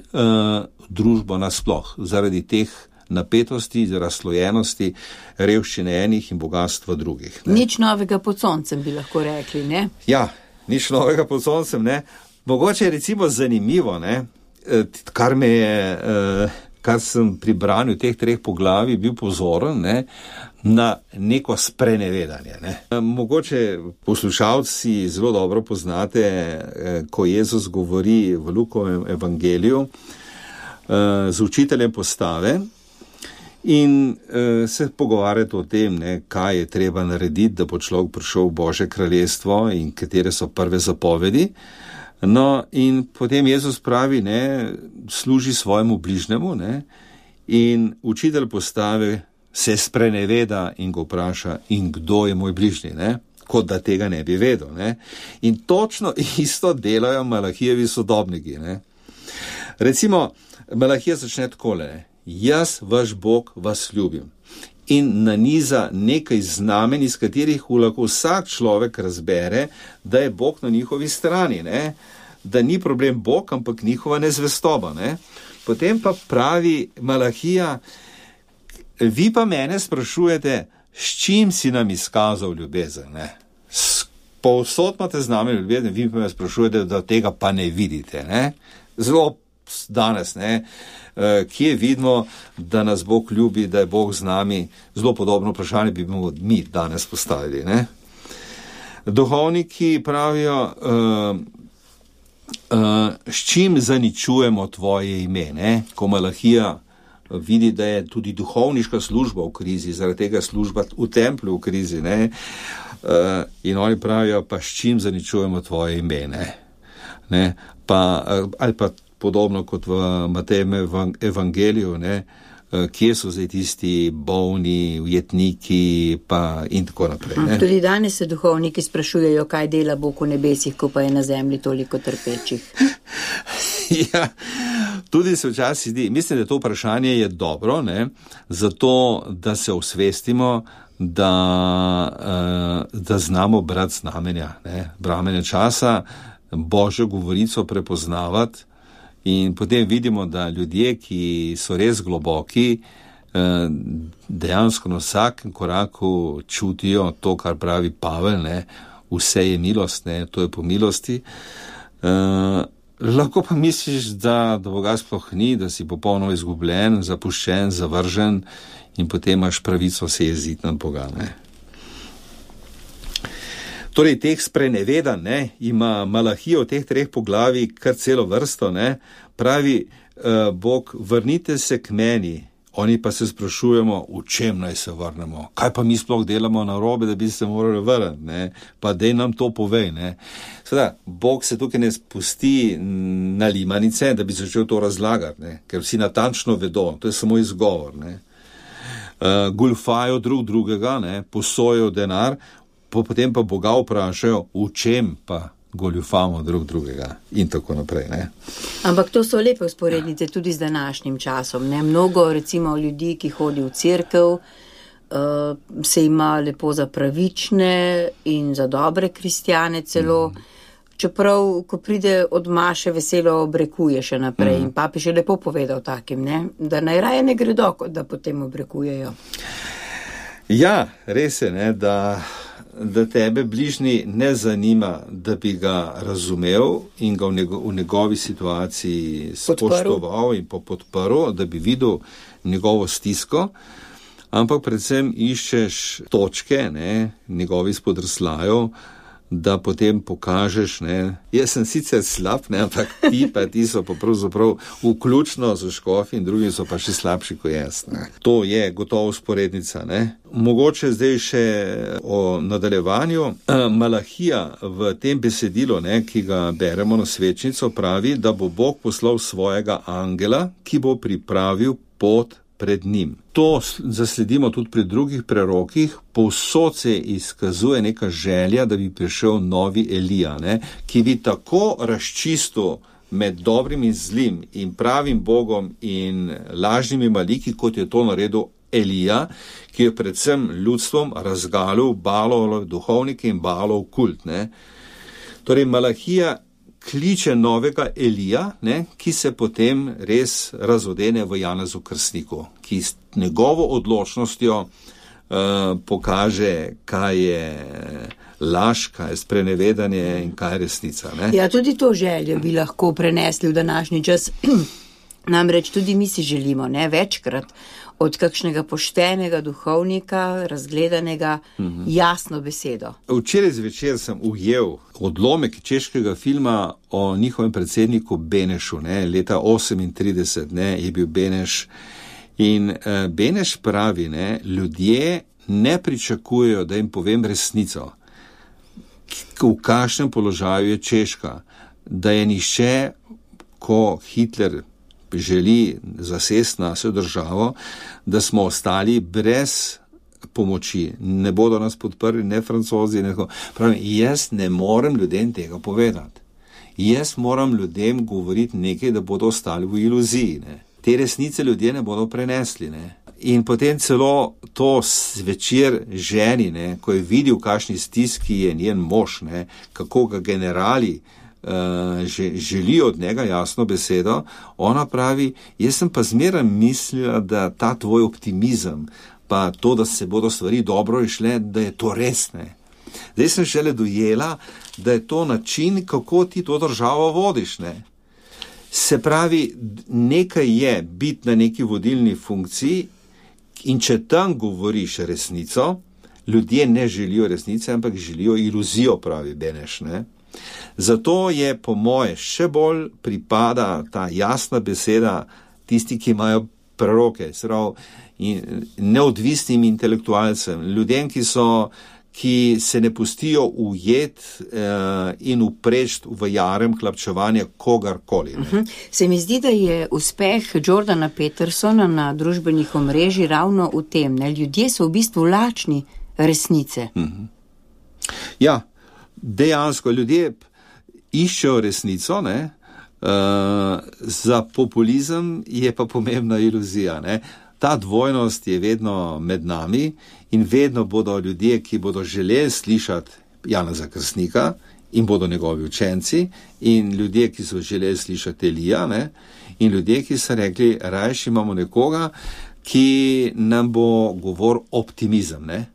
družbo nasploh, zaradi teh napetosti, razslojenosti, revščine enih in bogatstva drugih. Ne. Nič novega pod soncem, bi lahko rekli, ne? Ja, nič novega pod soncem, ne. Mogoče je recimo zanimivo, ne, kar sem pri branju teh 3 poglavij bil pozoren, ne, na neko sprenevedanje. Ne. Mogoče poslušalci zelo dobro poznate, ko Jezus govori v Lukovem evangeliju z učiteljem postave in se pogovarjate o tem, ne, kaj je treba narediti, da bo človek prišel v Božje kraljestvo in katere so prve zapovedi. No, in potem Jezus pravi, ne, služi svojemu bližnjemu, ne, in učitelj postave se spreneveda in ga vpraša, in kdo je moj bližnji, ne, kot da tega ne bi vedel. Ne. In točno isto delajo Malahijevi sodobniki. Ne. Recimo, Malahija začne takole, ne, jaz, vaš Bog, vas ljubim. In naniza nekaj znamen, iz katerih lahko vsak človek razbere, da je Bog na njihovi strani, ne? Da ni problem Bog, ampak njihova nezvestoba. Ne? Potem pa pravi Malahija, vi pa mene sprašujete, s čim si nam izkazal ljubezen. Ne? Povsod imate z nami ljubezen, vi pa me sprašujete, da tega pa ne vidite. Ne? Zelo danes, ne? Kje vidimo, da nas Bog ljubi, da je Bog z nami, zelo podobno vprašanje bi mi danes postavili. Ne? Duhovniki pravijo, s čim zaničujemo tvoje ime, ne? Ko Malahija vidi, da je tudi duhovniška služba v krizi, zaradi tega služba v templju v krizi, ne? In oni pravijo, pa s čim zaničujemo tvoje ime, ne? Ali pa podobno kot v Matejevem evangeliju, ne, kje so zdaj tisti bolni, ujetniki pa in tako naprej. Ne. Tudi danes se duhovniki sprašujejo, kaj dela Bog v nebesih, ko pa je na zemlji toliko trpečih. Ja, tudi se včasih zdi, mislim, da to vprašanje je dobro, ne, zato, da se osvestimo, da znamo brati znamenja, ne, bramenja časa, Božjo govorico prepoznavati. In potem vidimo, da ljudje, ki so res globoki, dejansko na vsakem koraku čutijo to, kar pravi Pavel, ne, vse je milost, ne, to je po milosti. Lahko pa misliš, da Boga sploh ni, da si popolnoma izgubljen, zapuščen, zavržen in potem imaš pravico se jeziti nad Boga. Ne. Torej, teh sprenevedanj, ne, ima Malahija v teh 3 poglavij kar celo vrsto, ne, pravi Bog, vrnite se k meni. Oni pa se sprašujemo, v čem naj se vrnemo, kaj pa mi sploh delamo narobe, da bi se morali vrniti, ne, pa dej nam to povej, ne. Seveda, Bog se tukaj ne spusti na limanice, da bi začel to razlagati, ne, ker vsi natančno vedo, to je samo izgovor, ne. Goljufajo drugega, ne, posojajo denar, potem pa Boga vprašajo, v čem pa goljufamo drugega in tako naprej. Ne? Ampak to so lepe usporednice tudi z današnjim časom. Ne? Mnogo recimo ljudi, ki hodi v cerkev, se ima lepo za pravične in za dobre kristjane celo, čeprav, ko pride od maše, veselo obrekuje še naprej. In papež je lepo povedal takim, ne? Da najraje ne gredo, da potem obrekujejo. Ja, res je, ne, da tebe bližnji ne zanima, da bi ga razumel in ga v njegovi situaciji spoštoval in podprl, da bi videl njegovo stisko, ampak predvsem iščeš točke, ne, njegovi spodrslajev, da potem pokažeš, ne, jaz sem sicer slab, ne, ampak ti so pa pravzaprav vključno z škofi in drugi so pa še slabši kot jaz. Ne. To je gotovo usporednica. Ne. Mogoče zdaj še o nadaljevanju. Malahija v tem besedilu, ne, ki ga beremo na svečnico, pravi, da bo Bog poslal svojega angela, ki bo pripravil pot pred njim. To zasledimo tudi pri drugih prerokih, povsod se izkazuje neka želja, da bi prišel novi Elija, ne, ki bi tako razčistil med dobrim in zlim in pravim Bogom in lažnimi maliki, kot je to naredil Elija, ki je predvsem ljudstvom razgalil Baalove duhovnike in Baalov kult. Ne. Torej, Malahija kliče novega Elija, ne, ki se potem res razodene v Janezu Krstniku, ki s njegovo odločnostjo pokaže, kaj je laž, kaj je sprenevedanje in kaj je resnica. Ne. Ja, tudi to željo bi lahko prenesli v današnji čas. Namreč tudi mi si želimo, ne, večkrat od kakšnega poštenega duhovnika, razgledanega, jasno besedo. Včeraj zvečer sem ujel odlomek češkega filma o njihovem predsedniku Benešu, ne, leta 38, ne, je bil Beneš. In Beneš pravi, ne, ljudje ne pričakujejo, da jim povem resnico, v kakšnem položaju je Češka, da je nihče, ko Hitler želi zasesti našo državo, da smo ostali brez pomoči. Ne bodo nas podprli, ne Francozi, ne. Pravim, jaz ne morem ljudem tega povedati. Jaz moram ljudem govoriti nekaj, da bodo ostali v iluziji. Ne. Te resnice ljudje ne bodo prenesli. Ne. In potem celo to zvečer ženi, ne, ko je videl, kakšni stiski je njen mož, ne, kako ga generali želijo od njega jasno besedo, ona pravi, jaz sem pa zmeraj mislila, da ta tvoj optimizem, pa to, da se bodo stvari dobro išle, da je to res, ne. Zdaj sem šele dojela, da je to način, kako ti to državo vodiš, ne. Se pravi, nekaj je biti na neki vodilni funkciji in če tam govoriš resnico, ljudje ne želijo resnice, ampak želijo iluzijo, pravi Beneš, ne. Zato je po moje še bolj pripada ta jasna beseda tisti, ki imajo preroke, neodvisnim intelektualcem, ljudem, ki se ne pustijo ujet in upreč v jarem hlapčevanja kogarkoli. Se mi zdi, da je uspeh Jordana Petersona na družbenih omrežjih ravno v tem, ne? Ljudje so v bistvu lačni resnice. Ja, dejansko ljudje iščejo resnico, ne? Za populizem je pa pomembna iluzija. Ne? Ta dvojnost je vedno med nami in vedno bodo ljudje, ki bodo želeli slišati Janeza Krstnika in bodo njegovi učenci in ljudje, ki so želeli slišati Elija, ne? In ljudje, ki so rekli, rajši imamo nekoga, ki nam bo govor optimizem. Ne?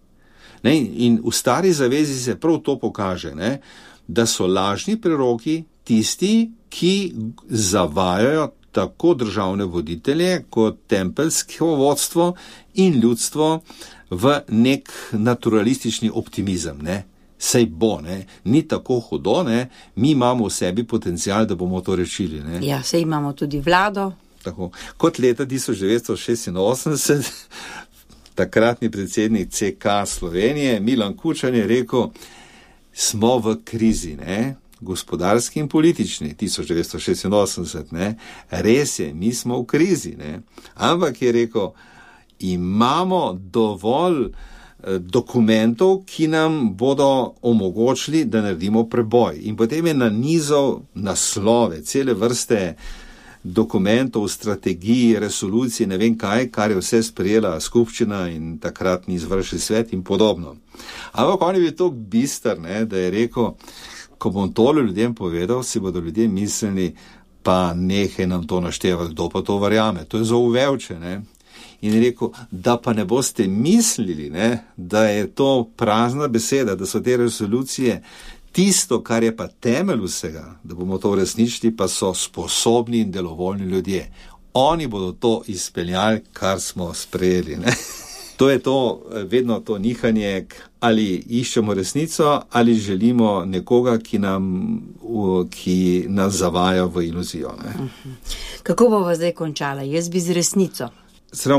Ne? In v Stari zavezi se prav to pokaže, ne? Da so lažni preroki tisti, ki zavajajo tako državne voditelje kot tempeljsko vodstvo in ljudstvo v nek naturalistični optimizem. Ne? Sej bo, ne? Ni tako hudo, ne? Mi imamo v sebi potencial, da bomo to rešili. Ne? Ja, sej imamo tudi vlado. Tako. Kot leta 1986 takratni predsednik CK Slovenije Milan Kučan je rekel, smo v krizi, ne? Gospodarski in politični, 1986, ne? Res je, mi smo v krizi, ne? Ampak je rekel, imamo dovolj dokumentov, ki nam bodo omogočili, da naredimo preboj. In potem je nanizal naslove, cele vrste dokumentov, strategij, resolucij, ne vem kaj, kar je vse sprejela skupščina in takratni izvršni svet in podobno. Ampak on je bil tako bister, ne, da je rekel, ko bom tole ljudem povedal, si bodo ljudje mislili, pa nehaj nam to naštevati, kdo pa to verjame. To je za uvevče, ne. In je rekel, da pa ne boste mislili, ne, da je to prazna beseda, da so te resolucije tisto, kar je pa temelj vsega, da bomo to uresničili, pa so sposobni in delovoljni ljudje. Oni bodo to izpeljali, kar smo sprejeli, ne. To je to, vedno to nihanje, ali iščemo resnico, ali želimo nekoga, ki nas zavaja v iluzijo. Ne? Kako bova zdaj končala? Jaz bi z resnico.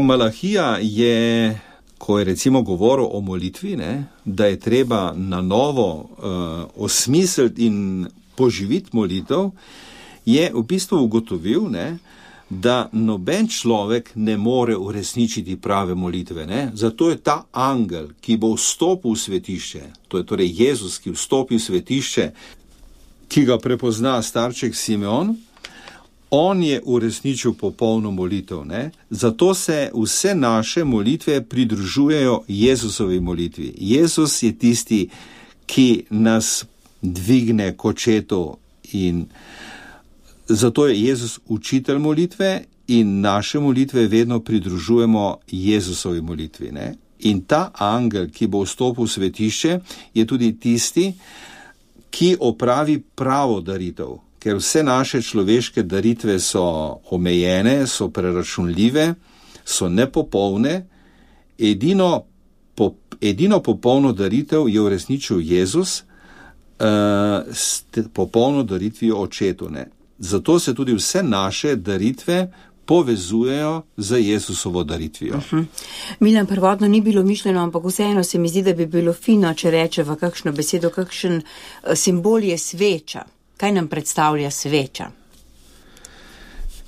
Malahija je, ko je recimo govoril o molitvi, ne, da je treba na novo osmisliti in poživiti molitev, je v bistvu ugotovil, ne, da noben človek ne more uresničiti prave molitve. Ne? Zato je ta angel, ki bo vstopil v svetišče, to je torej Jezus, ki vstopi v svetišče, ki ga prepozna starček Simeon, on je uresničil popolno molitev. Ne? Zato se vse naše molitve pridružujejo Jezusovi molitvi. Jezus je tisti, ki nas dvigne k očetu, in zato je Jezus učitelj molitve in naše molitve vedno pridružujemo Jezusovi molitvi. Ne? In ta angel, ki bo vstopil v svetišče, je tudi tisti, ki opravi pravo daritev. Ker vse naše človeške daritve so omejene, so preračunljive, so nepopolne. Edino popolno daritev je uresničil Jezus s popolno daritvijo očetu. Ne? Zato se tudi vse naše daritve povezujejo z Jezusovo daritvijo. Milan, prvotno ni bilo mišljeno, ampak vseeno se mi zdi, da bi bilo fino, če rečeva kakšno besedo, kakšen simbol je sveča. Kaj nam predstavlja sveča?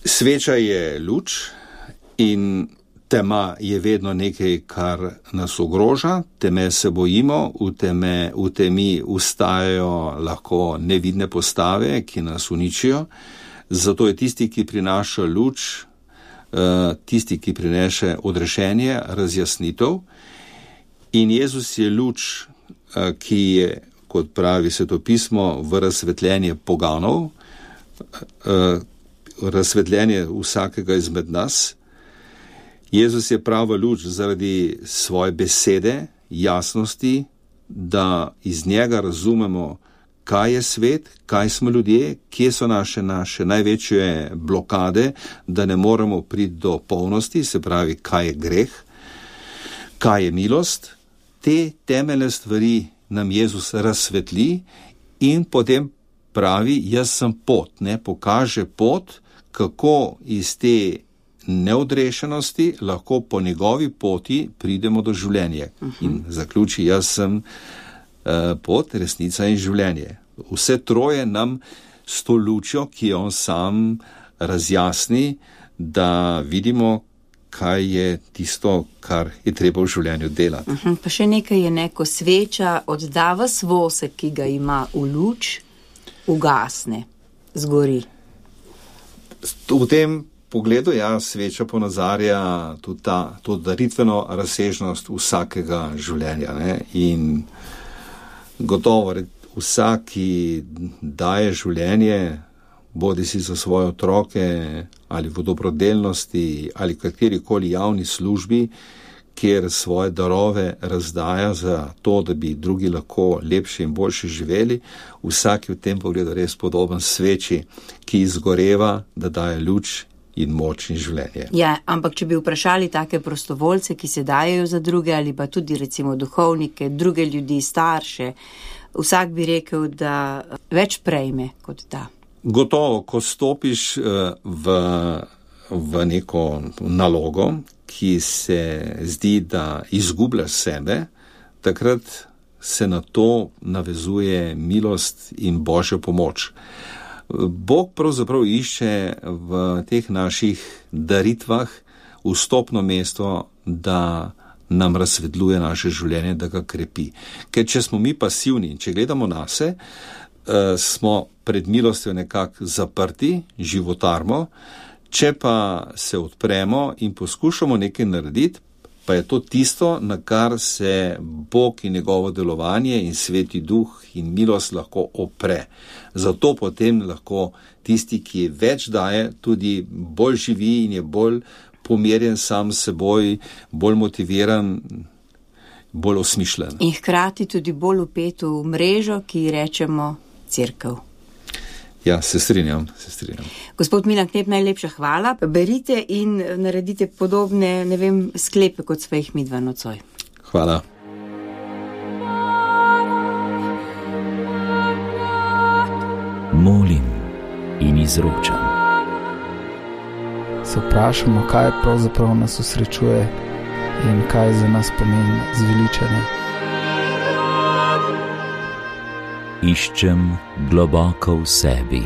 Sveča je luč in tema je vedno nekaj, kar nas ogroža. Teme se bojimo, v temi ustajajo lahko nevidne postave, ki nas uničijo. Zato je tisti, ki prinaša luč, tisti, ki prinese odrešenje, razjasnitev. In Jezus je luč, ki je, kot pravi svetopismo, v razsvetljenje poganov, razsvetljenje vsakega izmed nas. Jezus je prava luč zaradi svoje besede, jasnosti, da iz njega razumemo, kaj je svet, kaj smo ljudje, kje so naše največje blokade, da ne moremo priti do polnosti, se pravi, kaj je greh, kaj je milost. Te temeljne stvari nam Jezus razsvetli in potem pravi, jaz sem pot, ne, pokaže pot, kako iz te neodrešenosti lahko po njegovi poti pridemo do življenja. In zaključi, jaz sem pot, resnica in življenje. Vse troje nam s to lučjo, ki on sam razjasni, da vidimo, kaj je tisto, kar je treba v življenju delati. Pa še nekaj je, ko sveča oddava svosek, ki ga ima v luč, ugasne, zgori. V tem pogledu, sveča ponazarja tudi to daritveno razsežnost vsakega življenja. Ne? In gotovo, vsak, ki daje življenje, bodi si za svoje otroke ali v dobrodelnosti ali katerikoli javni službi, kjer svoje darove razdaja za to, da bi drugi lahko lepše in boljše živeli, vsak je v tem pogledu res podoben sveči, ki izgoreva, da daje luč in moč in življenje. Ja, ampak če bi vprašali take prostovoljce, ki se dajejo za druge, ali pa tudi recimo duhovnike, druge ljudi, starše, vsak bi rekel, da več prejme kot da. Gotovo, ko stopiš v neko nalogo, ki se zdi, da izgubljaš sebe, takrat se na to navezuje milost in Božja pomoč. Bog pravzaprav išče v teh naših daritvah vstopno mesto, da nam razsvetljuje naše življenje, da ga krepi. Ker če smo mi pasivni, če gledamo nase, smo pred milostjo nekako zaprti, životarmo, če pa se odpremo in poskušamo nekaj narediti, pa je to tisto, na kar se Bog in njegovo delovanje in Sveti Duh in milost lahko opre. Zato potem lahko tisti, ki več daje, tudi bolj živi in je bolj pomirjen sam s seboj, bolj motiviran, bolj osmišljen. In hkrati tudi bolj vpet v mrežo, ki rečemo cerkev. Ja, se strinjam. Gospod Milan Knep, najlepša hvala. Berite in naredite podobne, sklepe, kot sva jih midva nocoj. Hvala. Molim in izročam. Se vprašamo, kaj pravzaprav nas osrečuje in kaj za nas pomeni zveličanje. Iščem globoko v sebi.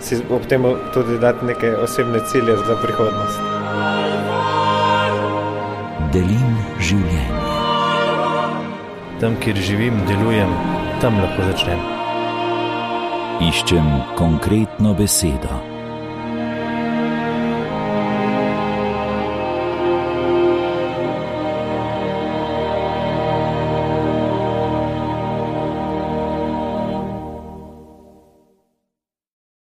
Si ob tem tudi dati neke osebne cilje za prihodnost. Delim življenje. Tam, kjer živim, delujem, tam lahko začnem. Iščem konkretno besedo.